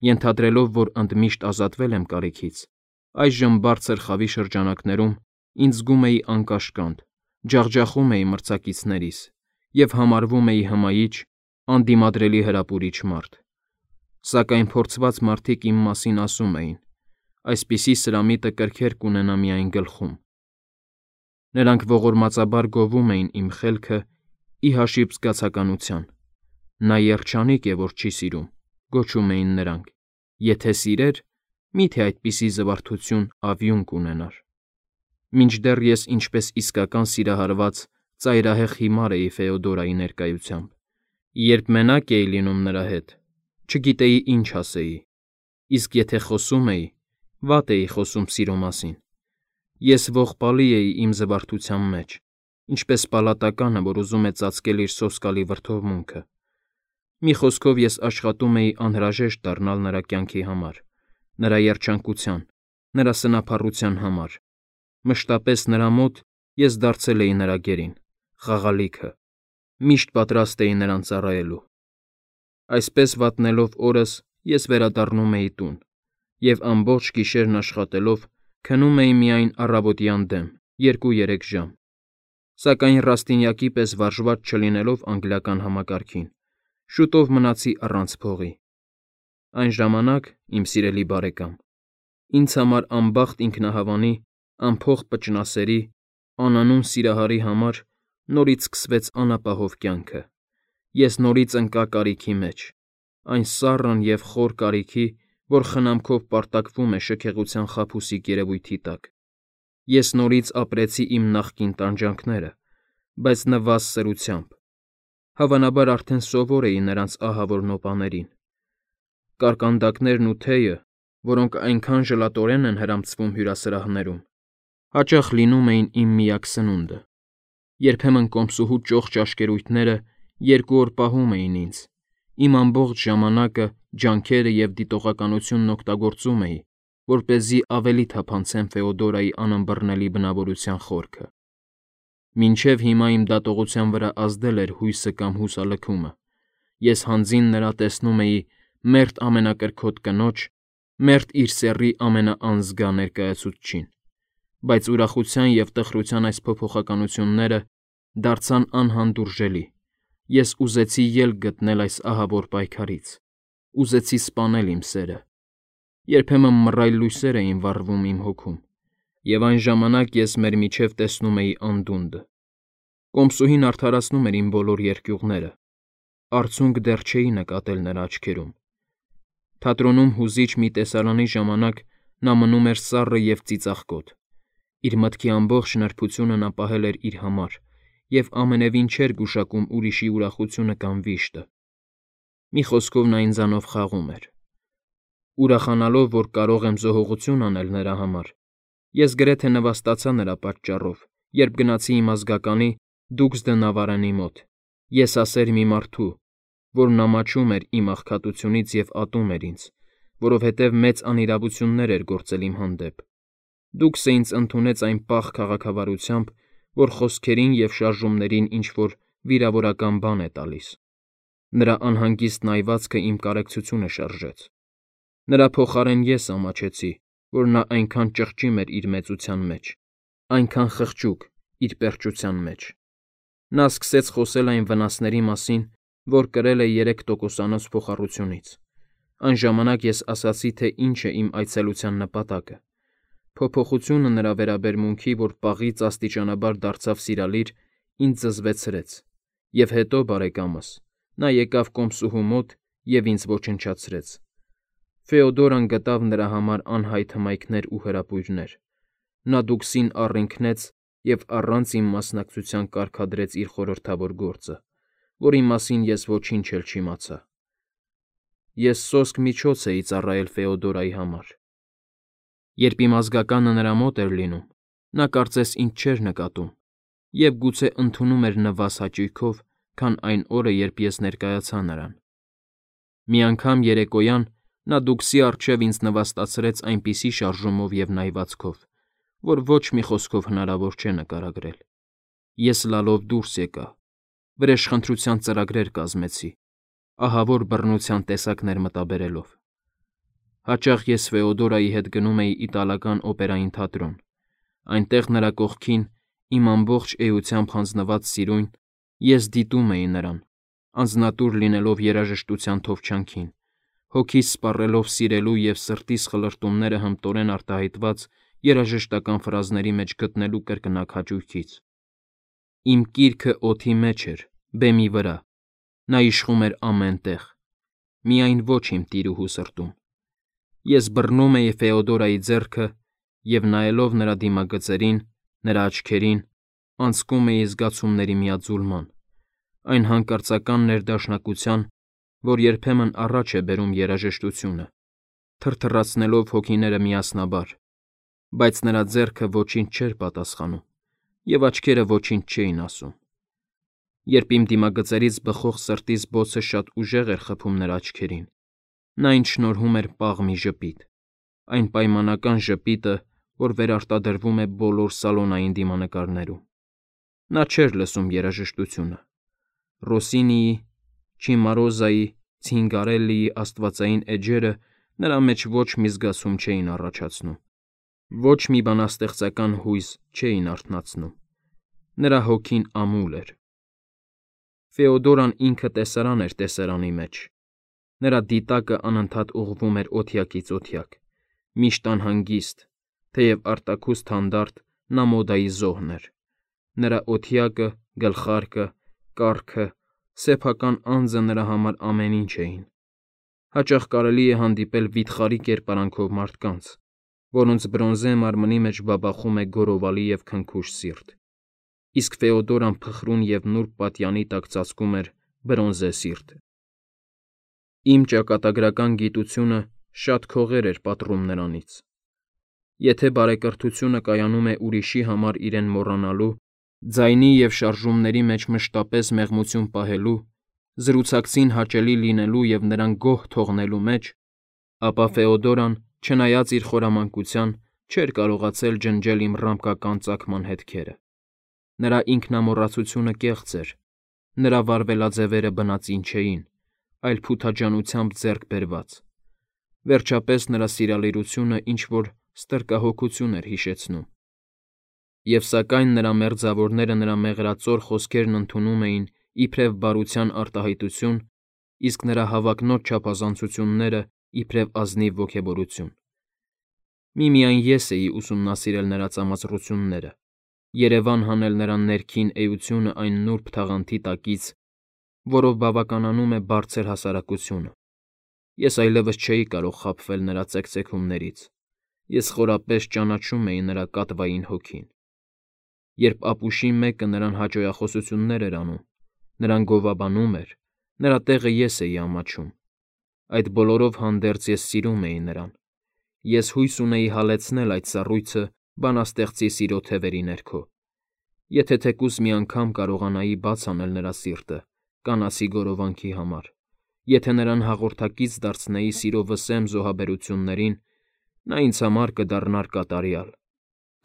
Ենթադրելով, որ ընդմիշտ ազատվել եմ կարիքից, այժմ բարձր խավի շրջանակներում ինձ զգում էի անկաշկանդ, ջախջախում էի մրցակիցներիս և համարվում էի հմայիչ, անդիմադրելի հրապուրիչ մարդ։ Սակայն փորձված մարդիկ իմ մասին ասում էին. այսպիսի սրամիտը կրքեր կունենա միայն գլխում։ Նրանք ողորմածաբար գովում էին իմ խելքը ի հաշիվ զգացականության։ Նա երջանիկ է, որ չի սիրում, գոչում էին նրանք, եթե սիրեր, մի՞թե այդպիսի զվարթություն ավյուն կունենար։ Մինչդեռ ես ինչպես իսկական սիրահարված ծայրահեղ հիմար էի Ֆեոդորայի ներկայությամբ։ Երբ մենակ էի լինում նրա հետ, չգիտեի ինչ ասեի, իսկ եթե խոսում էի, վատ էի խոսում սիրո մասին։ Ես ողբալի էի իմ զվարթության մեջ, ինչպես պալատականը, որ ուզում է ծածկել իր սոսկալի վրդովմունքը։ Մի խոսքով ես աշխատում էի անհրաժեշտ դառնալ նրա կյանքի համար, նրա երջանկության, նրա սնափառության համար։ Մշտապես նրա մոտ ես դարձել էի նրա գերին, խաղալիքը, միշտ պատրաստ էի նրան ծառայելու։ Այսպես վատնելով օրս ես վերադառնում էի տուն և ամբողջ գիշերն աշխատելով քնում էի միայն առավոտյան դեմ 2-3 ժամ։ Սակայն Ռաստինյակի պես վարժված չլինելով անգլիական համակարգին, շուտով մնացի առանց փողի։ Այն ժամանակ, իմ սիրելի բարեկամ, ինձ համար անբախտ ինքնահավանի, անփող պճնասերի, անանուն սիրահարի համար նորից սկսվեց անապահով կյանքը։ Ես նորից ընկա կարիքի մեջ, այն սառն և խոր կարիքի, որ խնամքով պարտակվում է շքեղության խաբուսիկ երևույթի տակ։ Ես նորից ապրեցի իմ նախկին տանջանքները, բայց նվազ սրությամբ։ Հավանաբար արդեն սովոր էի նրանց ահավոր նոպաներին։ Կարկանդակներն ու թեյը, որոնք այնքան ժլատորեն են հրամցվում հյուրասրահներում, հաճախ լինում էին իմ միակ սնունդը։ Երբեմն կոմսուհու ճոխ ճաշկերույթները 2 օր պահում էին ինձ, իմ ամբողջ ժամանակը, ջանքերը և դիտողականությունն օգտագործում էի, որպեսզի ավելի թափանցեմ Ֆեոդորայի անըմբռնելի բնավորության խորքը։ Մինչև հիմա իմ դատողության վրա ազդել էր հույսը կամ հուսալքումը։ Ես հանձին նրա տեսնում էի մերթ ամենակրքոտ կնոջ, մերթ իր սեռի ամենաանզգա ներկայացուցչին։ Բայց ուրախության և տխրության այս փոփոխականությունները դարձան անհանդուրժելի։ Ես ուզեցի ելք գտնել այս ահավոր պայքարից, ուզեցի սպանել իմ սերը։ Երբեմն մռայլ լույսեր էին վառվում իմ հոգում, և այն ժամանակ ես մեր միջև տեսնում էի անդունդը։ Կոմսուհին արդարացնում էր իմ բոլոր երկյուղները, արցունք դեռ չէի նկատել նրա աչքերում։ Թատրոնում հուզիչ մի տեսարանի ժամանակ նա մնում էր սառը և ծիծաղկոտ։ Իր մտքի ամբողջ նրբությունը նա պահել էր իր համար և ամենևին չէր գուշակում ուրիշի ուրախությունը կամ վիշտը։ Մի խոսքով նա ինձանով խաղում էր։ Ուրախանալով, որ կարող եմ զոհողություն անել նրա համար, ես գրեթե նվաստացա նրա պատճառով, երբ գնացի իմ ազգականի Դուքս դը Նավարենի մոտ, եսասեր մի մարդու, որն ամաչում էր իմ աղքատությունից և ատում էր ինձ, որովհետև մեծ անիրավություններ էր գործել իմ հանդեպ։ Դուքսը ինձ ընդունեց այն պաղ քաղաքավարությամբ, որ խոսքերին և շարժումներին ինչ-որ վիրավորական բան է տալիս։ Նրա անհանգիստ նայվածքը իմ կարեկցությունը շարժեց։ Նրա փոխարեն ես ամաչեցի, որ նա այնքան ճղճիմ էր իր մեծության մեջ, այնքան խղճուկ իր պերճության մեջ։ Նա սկսեց խոսել այն վնասների մասին, որ կրել է 3% փոխառությունից։ Այն ժամանակ ես ասացի, թե ինչ է իմ այցելության նպատակը։ Փոփոխությունը նրա վերաբերմունքի, որ պաղից աստիճանաբար դարձավ սիրալիր, ինձ զզվեցրեց, և հետո, բարեկամս, նա եկավ կոմսուհու մոտ և ինձ ոչնչացրեց։ Ֆեոդորան գտավ նրա համար անհայտ հմայքներ ու հրապույրներ։ Նա Դուքսին առինքնեց և առանց իմ մասնակցության կարգադրեց իր խորհրդավոր գործը, որի մասին ես ոչինչ էլ չիմացա։ Ես սոսկ միջոց էի ծառայել Ֆեոդորայի համար։ Երբ իմ ազգականը նրա մոտ էր լինում, նա կարծես ինձ չէր նկատում և գուցե ընդունում էր նվազ հաճույքով, քան այն օրը, երբ ես ներկայացա նրան։ Մի անգամ երեկոյան նա Դուքսի առջև ինձ նվաստացրեց այնպիսի շարժումով և նայվածքով, որ ոչ մի խոսքով հնարավոր չէ նկարագրել։ Ես լալով դուրս եկա, վրեժխնդրության ծրագրեր կազմեցի, ահավոր բռնության տեսակներ մտաբերելով։ Հաճախ ես Ֆեոդորայի հետ գնում էի իտալական օպերային թատրոն։ Այնտեղ նրա կողքին, իմ ամբողջ էությամբ հանձնված սիրուն, ես դիտում էի նրան, անձնատուր լինելով երաժշտության թովչանքին, հոգիս սպառելով սիրելու և սրտիս խլրտումները հմտորեն արտահայտված երաժշտական ֆրազների մեջ գտնելու կրկնակ հաճույքից։ Իմ կիրքը օդի մեջ էր, բեմի վրա, նա իշխում էր ամեն տեղ, միայն ոչ իմ տիրուհու սրտում։ Ես բռնում էի Ֆեոդորայի ձեռքը և, նայելով նրա դիմագծերին, նրա աչքերին, անցկում էի զգացումների միաձուլման, այն հանկարծական ներդաշնակության, որ երբեմն առաջ է բերում երաժշտությունը, թրթռացնելով հոգիները միասնաբար, բայց նրա ձեռքը ոչինչ չէր պատասխանում, և աչքերը ոչինչ չէին ասում։ Երբ իմ դիմագծերից բխող սրտիս բոցը շատ ուժեղ էր խփում նրա աչքերին, նա ինձ շնորհում էր պաղ մի ժպիտ, այն պայմանական ժպիտը, որ վերարտադրվում է բոլոր սալոնային դիմանկարներում։ Նա չէր լսում երաժշտությունը։ Ռոսինիի, Չիմարոզայի, Ցինգարելլիի աստվածային էջերը նրա մեջ ոչ մի զգացում չէին առաջացնում, ոչ մի բանաստեղծական հույզ չէին արթնացնում։ Նրա հոգին ամուլ էր։ Ֆեոդորան ինքը տեսարան էր տեսարանի մեջ։ Նրա դիտակը անընդհատ ուղղվում էր օթյակից օթյակ, միշտ անհանգիստ, թեև արտաքուստ հանդարտ նա մոդայի զոհն էր։ Նրա օթյակը, գլխարկը, կառքը, սեփական անձը նրա համար ամեն ինչ էին։ Հաճախ կարելի է հանդիպել վիթխարի կերպարանքով մարդկանց, որոնց բրոնզե մարմնի մեջ բաբախում է գորովալի և քնքուշ սիրտ, իսկ Ֆեոդորան փխրուն և նուրբ պատյանի տակ ծածկում էր բրոնզե սիրտը։ Իմ ճակատագրական գիտությունը շատ քողեր էր պատռում նրանից։ Եթե բարեկրթությունը կայանում է ուրիշի համար իրեն մոռանալու, ձայնի և շարժումների մեջ մշտապես մեղմություն պահելու, զրուցակցին հաճելի լինելու և նրան գոհ թողնելու մեջ, ապա Ֆեոդորան, չնայած իր խորամանկության, չէր կարողացել ջնջել իմ ռամկական ծագման հետքերը։ Նրա ինքնամոռացությունը կեղծ էր, նրա վարվելաձևերը բնածին չէին, այլ փութաջանությամբ ձեռք բերված։ Վերջապես նրա սիրալիրությունը ինչ-որ ստրկահոգություն էր հիշեցնում։ Եվ սակայն նրա մերձավորները նրա մեղրածոր խոսքերն ընդունում էին իբրև բարության արտահայտություն, իսկ նրա հավակնոտ չափազանցությունները իբրև ազնիվ ոգևորություն։ Միմիայն ես էի ուսումնասիրել նրա ծամածռությունները, երևան հանել նրա ներքին էությունը այն նուրբ թաղանթի տակից, որով բավականանում է բարձր հասարակությունը։ Ես այլևս չէի կարող խաբվել նրա ծեքծեքումներից, ես խորապես ճանաչում էի նրա կատվային հոգին։ Երբ ապուշի մեկը նրան հաճոյախոսություններ էր անում, նրան գովաբանում էր, նրա տեղը ես էի ամաչում։ Այդ բոլորով հանդերձ ես սիրում էի նրան։ Ես հույս ունեի հալեցնել այդ սառույցը բանաստեղծի սիրո թևերի ներքո։ Եթե թեկուզ մի անգամ կարողանայի բաց անել նրա սիրտը կանացի գորովանքի համար, եթե նրան հաղորդակից դարձնեի սիրո վսեմ զոհաբերություններին, նա ինձ համար կդառնար կատարյալ,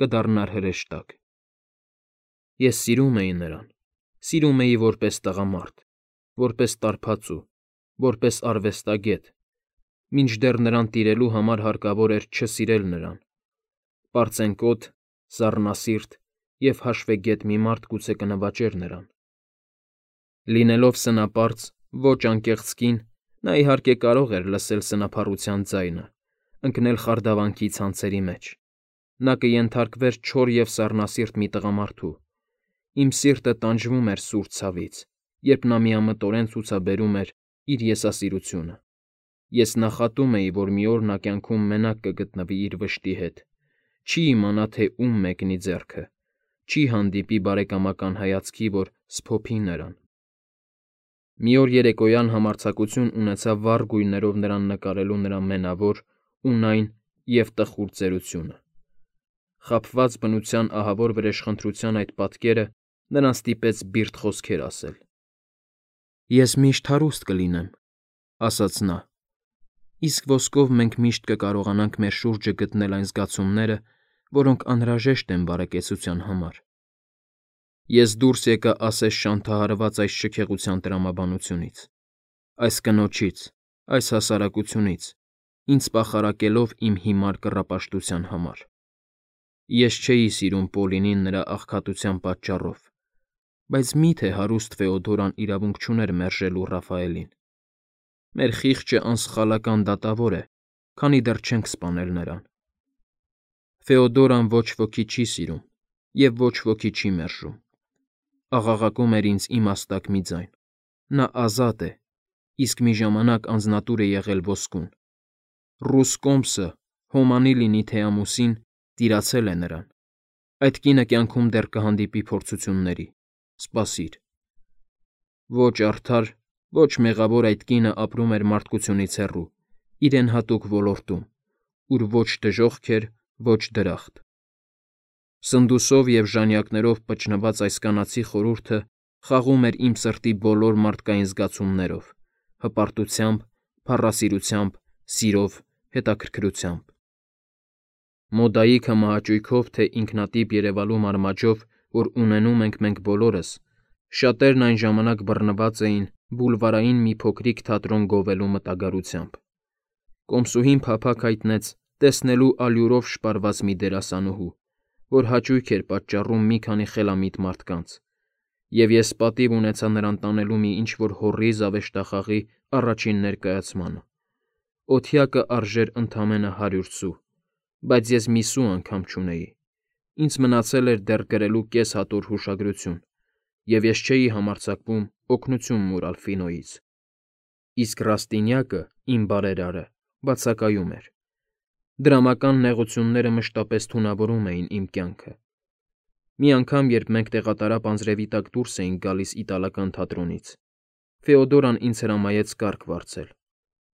կդառնար հրեշտակ։ Ես սիրում էի նրան, սիրում էի որպես տղամարդ, որպես տարբացու, որպես արվեստագետ, մինչդեռ նրան տիրելու համար հարկավոր էր չսիրել նրան։ Պարծենկոտ, սառնասիրտ և հաշվեգետ մի մարդ գուցե կնվաճեր նրան։ Լինելով սնապարծ, ոչ անկեղծ կին, նա իհարկե կարող էր լսել սնափառության ձայնը, ընկնել խարդավանքի ցանցերի մեջ։ Նա կենթարկվեր չոր և սառնասիրտ մի տղամարդու։ Իմ սիրտը տանջվում էր սուր ցավից, երբ նա միամտորեն ցուցաբերում էր իր եսասիրությունը։ Ես նախատում էի, որ մի օր նա կյանքում մենակ կգտնվի իր վշտի հետ, չի իմանա, թե ում մեկնի ձեռքը, չի հանդիպի բարեկամական հայացքի, որ սփոփի նրան։ Մի օր երեկոյան համարձակություն ունեցա վառ գույներով նրան նկարելու նրա մենավոր, ունայն և տխուր ծերությունը։ Խաբված բնության ահավոր վրեժխնդրության այդ պատկերը նրան ստիպեց բիրտ խոսքեր ասել։ «Ես միշտ հարուստ կլինեմ», ֊ ասաց նա, «իսկ ոսկով մենք միշտ կկարողանանք մեր շուրջը գտնել այն զգացումները, որոնք անհրաժեշտ են բարեկեցության համար»։ Ես դուրս եկա ասես շանթահարված այս շքեղության տրամաբանությունից, այս կնոջից, այս հասարակությունից, ինձ պախարակելով իմ հիմար կռապաշտության համար։ Ես չէի սիրում Պոլինին նրա աղքատության պատճառով, բայց մի՞թե հարուստ Ֆեոդորան իրավունք չուներ մերժելու Ռաֆայելին։ Մեր խիղճը անսխալական դատավոր է, քանի դեռ չենք սպանել նրան։ Ֆեոդորան ոչ ոքի չի սիրում և ոչ ոքի չի մերժում։ Աղաղակում էր ինձ իմաստակ մի ձայն. նա ազատ է, իսկ մի ժամանակ անձնատուր է եղել ոսկուն։ Ռուս կոմսը, հոմանի լինի թե ամուսին, տիրացել է նրան։ Այդ կինը կյանքում դեռ կհանդիպի փորձությունների։ Սպասիր։ Ոչ արդար, ոչ մեղավոր այդ կինը ապրում էր մարդկությունից հեռու, իրեն հատուկ ոլորտում, ուր ոչ դժոխք էր, ոչ դրախտ։ Սնդուսով և ժանյակներով պճնված այս կանացի խորհուրդը խաղում էր իմ սրտի բոլոր մարդկային զգացումներով՝ հպարտությամբ, փառասիրությամբ, սիրով, հետաքրքրությամբ։ Մոդայիքը մահաճույքով թե ինքնատիպ երևալու մարմաճով, որ ունենում ենք մենք բոլորս, շատերն այն ժամանակ բռնված էին բուլվարային մի փոքրիկ թատրոն գովելու մտագարությամբ։ Կոմսուհին փափագ հայտնեց տեսնելու ալյուրով շպարված մի դերասանուհու, որ հաճույք էր պատճառում մի քանի խելամիտ մարդկանց, և ես պատիվ ունեցա նրան տանելու մի ինչ-որ հոռի զավեշտախաղի առաջին ներկայացմանը։ Օթյակը արժեր ընդամենը 100 սու, բայց ես մի սու անգամ չունեի։ Ինձ մնացել էր դեռ գրելու կես հատոր հուշագրություն, և ես չէի համարձակվում օգնություն մուրալ Ֆինոյից։ Իսկ Ռաստինյակը, իմ բարերարը, բացակայում էր։ Դրամական նեղությունները մշտապես թունավորում էին իմ կյանքը։ Մի անգամ, երբ մենք տեղատարապ անձրևի տակ դուրս էինք գալիս իտալական թատրոնից, Ֆեոդորան ինձ հրամայեց կարգ վարձել,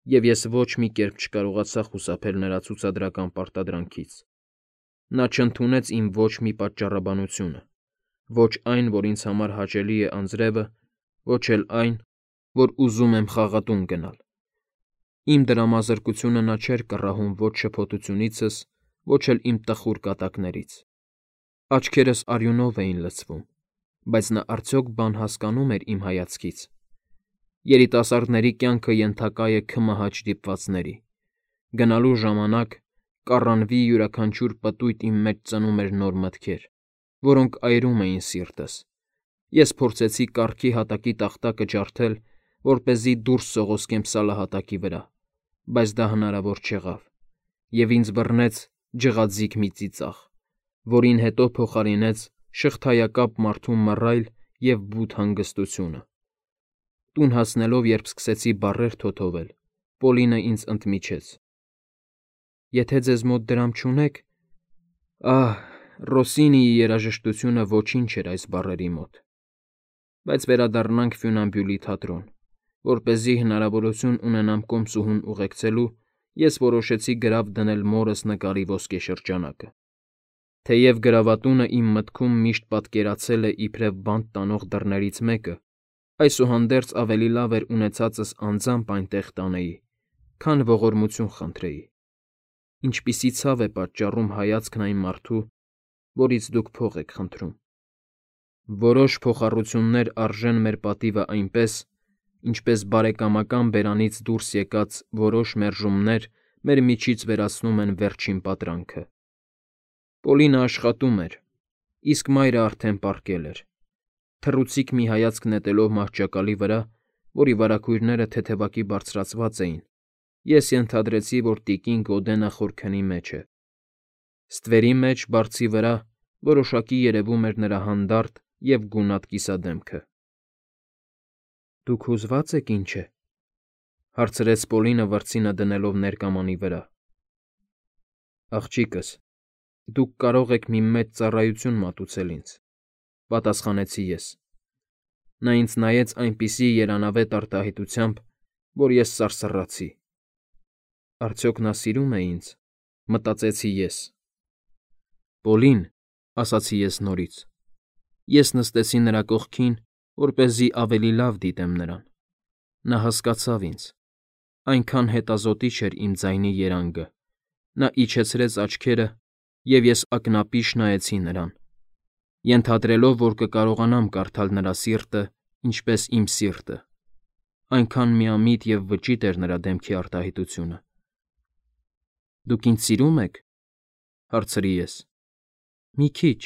և ես ոչ մի կերպ չկարողացա խուսափել նրա ցուցադրական պարտադրանքից։ Նա չընդունեց իմ ոչ մի պատճառաբանությունը, ոչ այն, որ ինձ համար հաճելի է անձրևը, ոչ էլ այն, որ ուզում եմ խաղատուն գնալ։ Իմ դրամազրկությունը նա չէր կռահում ոչ շփոթությունիցս, ոչ էլ իմ տխուր կատակներից։ Աչքերս արյունով էին լցվում, բայց նա արդյոք բան հասկանում էր իմ հայացքից։ Երիտասարդների կյանքը ենթակա է քմահաճ դիպվածների։ Գնալու ժամանակ կառանվի յուրաքանչյուր պտույտ իմ մեջ ծնում էր նոր մտքեր, որոնք այրում էին սիրտս։ Ես փորձեցի կառքի հատակի տախտակը ջարդել, որպեսզի դուրս սողոսկեմ սալահատակի վրա, բայց դա հնարավոր չեղավ, և ինձ բռնեց ջղաձիգ մի ծիծաղ, որին հետո փոխարինեց շղթայակապ մարդու մռայլ և բութ հանգստությունը։ Տուն հասնելով, երբ սկսեցի բառեր թոթովել, Պոլինը ինձ ընդմիջեց. Եթե ձեզ մոտ դրամ չունեք… Ահ, Ռոսինիի երաժշտությունը ոչինչ էր այս բառերի մոտ։ Բայց վերադառնանք Ֆյունամբյուլի թատրոն, որպեսզի հնարավորություն ունենամ կոմսուհուն ուղեկցելու, ես որոշեցի գրավ դնել մորս նկարի ոսկեշրջանակը։ Թեև գրավատունը իմ մտքում միշտ պատկերացել է իբրև բանտ տանող դռներից մեկը, այսուհանդերձ ավելի լավ էր ունեցածս անձամբ այնտեղ տանեի, քան ողորմություն խնդրեի։ Ինչպիսի ցավ է պատճառում հայացքն այն մարդու, որից դուք փող եք խնդրում։ Որոշ փոխառություններ արժեն մեր պատիվը այնպես, ինչպես բարեկամական բերանից դուրս եկած որոշ մերժումներ մեր միջից վերացնում են վերջին պատրանքը։ Պոլինը աշխատում էր, իսկ մայրը արդեն պառկել էր։ Թռուցիկ մի հայացք նետելով մահճակալի վրա, որի վարագույրները թեթևակի բարձրացված էին, ես ենթադրեցի, որ տիկին Գոդենը խորքնի մեջ է։ Ստվերի մեջ, բարձի վրա, որոշակի երևում էր նրա հանդարտ և գունատ կիսադեմքը։ Դուք հուզվա՞ծ եք, ինչ է,֊ հարցրեց Պոլինը վրձինը դնելով ներկամանի վրա։ Աղջիկս, դուք կարող եք մի մեծ ծառայություն մատուցել ինձ,֊ պատասխանեցի ես։ Նա ինձ նայեց այնպիսի երանավետ արտահայտությամբ, որ ես սարսռացի։ Արդյոք նա սիրում է ինձ, մտածեցի ես։ Պոլին, ասացի ես նորից։ Ես նստեցի նրա կողքին, որպեսզի ավելի լավ դիտեմ նրան։ Նա հասկացավ ինձ։ Այնքան հետազոտիչ էր իմ ձայնի երանգը։ Նա իջեցրեց աչքերը, և ես ակնապիշ նայեցի նրան, ենթադրելով, որ կկարողանամ կարդալ նրա սիրտը, ինչպես իմ սիրտը։ Այնքան միամիտ և վճիտ էր նրա դեմքի արտահայտությունը։ Դուք ինձ սիրում եք, հարցրի ես։ Մի քիչ,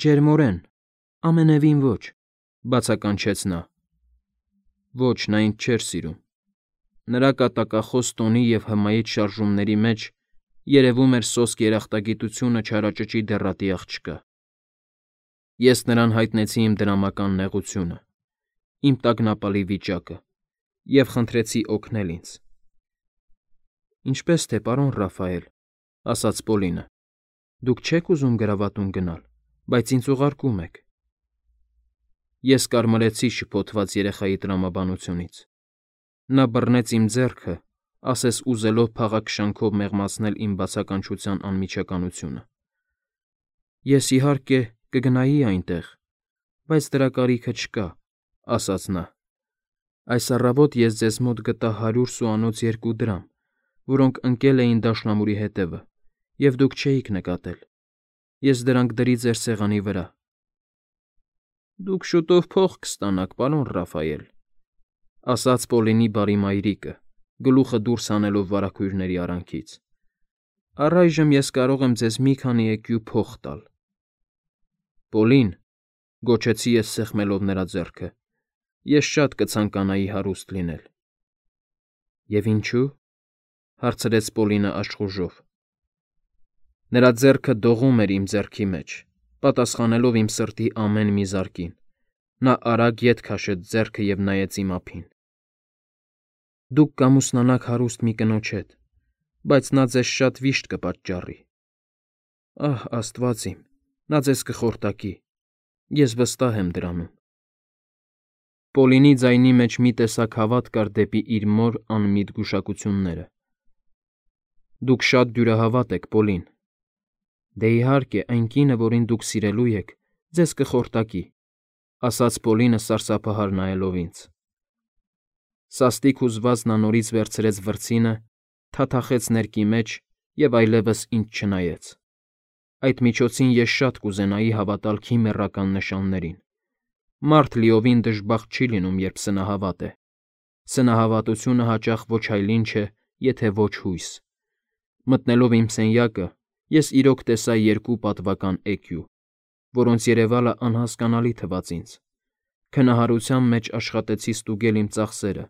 ջերմորեն, ամենևին ոչ, բացականչեց նա։ Ոչ, նա ինձ չէր սիրում։ Նրա կատակախոս տոնի և հմայիչ շարժումների մեջ երևում էր սոսկ երախտագիտությունը չարաճճի դեռատի աղջկա։ Ես նրան հայտնեցի իմ դրամական նեղությունը, իմ տագնապալի վիճակը և խնդրեցի օգնել ինձ։ Ինչպե՞ս թե, պարոն Ռաֆայել, ասաց Պոլինը, դուք չեք ուզում գրավատուն գնալ, բայց ինձ ուղարկում եք։ Ես կարմրեցի շփոթված երեխայի տրամաբանությունից։ Նա բռնեց իմ ձեռքը, ասես ուզելով փաղաքշանքով մեղմացնել իմ բացականչության անմիջականությունը։ Ես, իհարկե, կգնայի այնտեղ, բայց դրա կարիքը չկա, ասաց նա։ Այս առավոտ ես ձեզ մոտ գտա 100 սուանոց 2 դրամ, որոնք ընկել էին դաշնամուրի հետևը, և դուք չէիք նկատել։ Ես դրանք դրի ձեր սեղանի վրա։ Դուք շուտով փող կստանաք, պարոն Ռաֆայել, ասաց Պոլինի բարի մայրիկը, գլուխը դուրս հանելով վարագույրների արանքից։ Առայժմ ես կարող եմ ձեզ մի քանի էկյու փող տալ։ Պոլին, գոչեցի ես սեղմելով նրա ձեռքը, ես շատ կցանկանայի հարուստ լինել։ Եվ ինչու՞, հարցրեց Պոլինը աշխուժով։ Նրա ձեռքը դողում էր իմ ձեռքի մեջ, պատասխանելով իմ սրտի ամեն մի զարկին։ Նա արագ ետ քաշեց ձեռքը և նայեց իմ ափին։ Դուք կամուսնանաք հարուստ մի կնոջ հետ, բայց նա ձեզ շատ վիշտ կպատճառի։ Ահ, Աստված իմ, նա ձեզ կխորտակի, ես վստահ եմ դրանում։ Պոլինի ձայնի մեջ մի տեսակ հավատ կար դեպի իր մոր անմիտ գուշակությունները։ Դուք շատ դյուրահավատ եք, Պոլին։ Դե իհարկե, այն կինը, որին դուք սիրելու եք, ձեզ կխորտակի, ասաց Պոլինը սարսափահար նայելով ինձ։ Սաստիկ հուզված նա նորից վերցրեց վրձինը, թաթախեց ներկի մեջ և այլևս ինձ չնայեց։ Այդ միջոցին ես շատ կուզենայի հավատալ քիմեռական նշաններին։ Մարդ լիովին դժբախտ չի լինում, երբ սնահավատ է։ Սնահավատությունը հաճախ ոչ այլ ինչ է, եթե ոչ հույս։ Մտնելով իմ սենյակը, ես իրոք տեսա 2 պատվական էկյու, որոնց երևալը անհասկանալի թվաց ինձ։ Քնահարության մեջ աշխատեցի ստուգել իմ ծախսերը,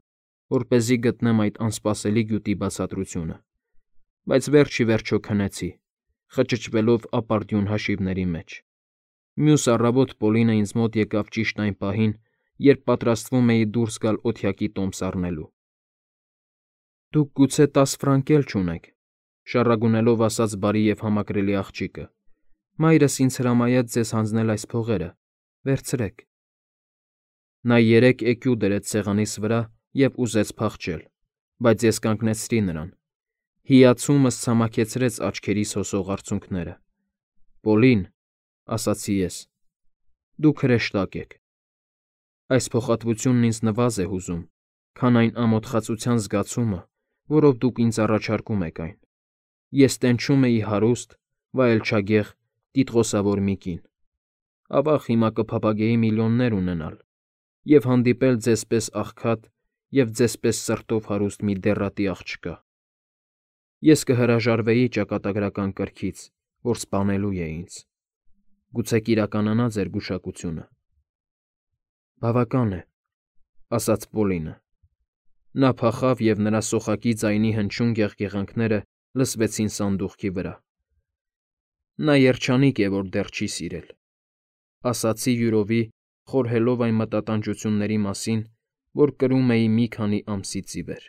որպեսզի գտնեմ այդ անսպասելի գյուտի բացատրությունը, բայց վերջ ի վերջո քնեցի, խճճվելով ապարդյուն հաշիվների մեջ։ Մյուս առավոտ Պոլինը ինձ մոտ եկավ ճիշտ այն պահին, երբ պատրաստվում էի դուրս գալ օթյակի տոմս առնելու։ Դուք գուցե 10 ֆրանկ էլ չունեք, շառագունելով ասաց բարի և համակրելի աղջիկը։ Մայրս ինձ հրամայեց ձեզ հանձնել այս փողերը, վերցրեք։ Նա 3 էկյու դրեց սեղանիս վրա և ուզեց փախչել, բայց ես կանգնեցրի նրան։ Հիացումս ցամաքեցրեց աչքերիս հոսող արցունքները։ Պոլին, ասացի ես, դուք հրեշտակ եք։ Այս փոխհատվությունն ինձ նվազ է հուզում, քան այն ամոթխածության զգացումը, որով դուք ինձ առաջարկում եք այն։ Ես տենչում էի հարուստ, վայելչագեղ, տիտղոսավոր մի կին։ Ավաղ հիմա կփափագեի միլիոններ ունենալ և հանդիպել ձեզպես աղքատ և ձեզպես սրտով հարուստ մի դեռատի աղջկա։ Ես կհրաժարվեի ճակատագրական կրքից, որ սպանելու է ինձ։ Գուցե կիրականանա ձեր գուշակությունը։ Բավական է, ասաց Պոլինը։ Նա փախավ և նրա սոխակի ձայնի հնչյուն գեղգեղանքները լսվեցին սանդուղքի վրա։ Նա երջանիկ է, որ դեռ չի սիրել, ասացի յուրովի, խորհելով այն մտատանջությունների մասին, որ կրում էի մի քանի ամսից ի վեր։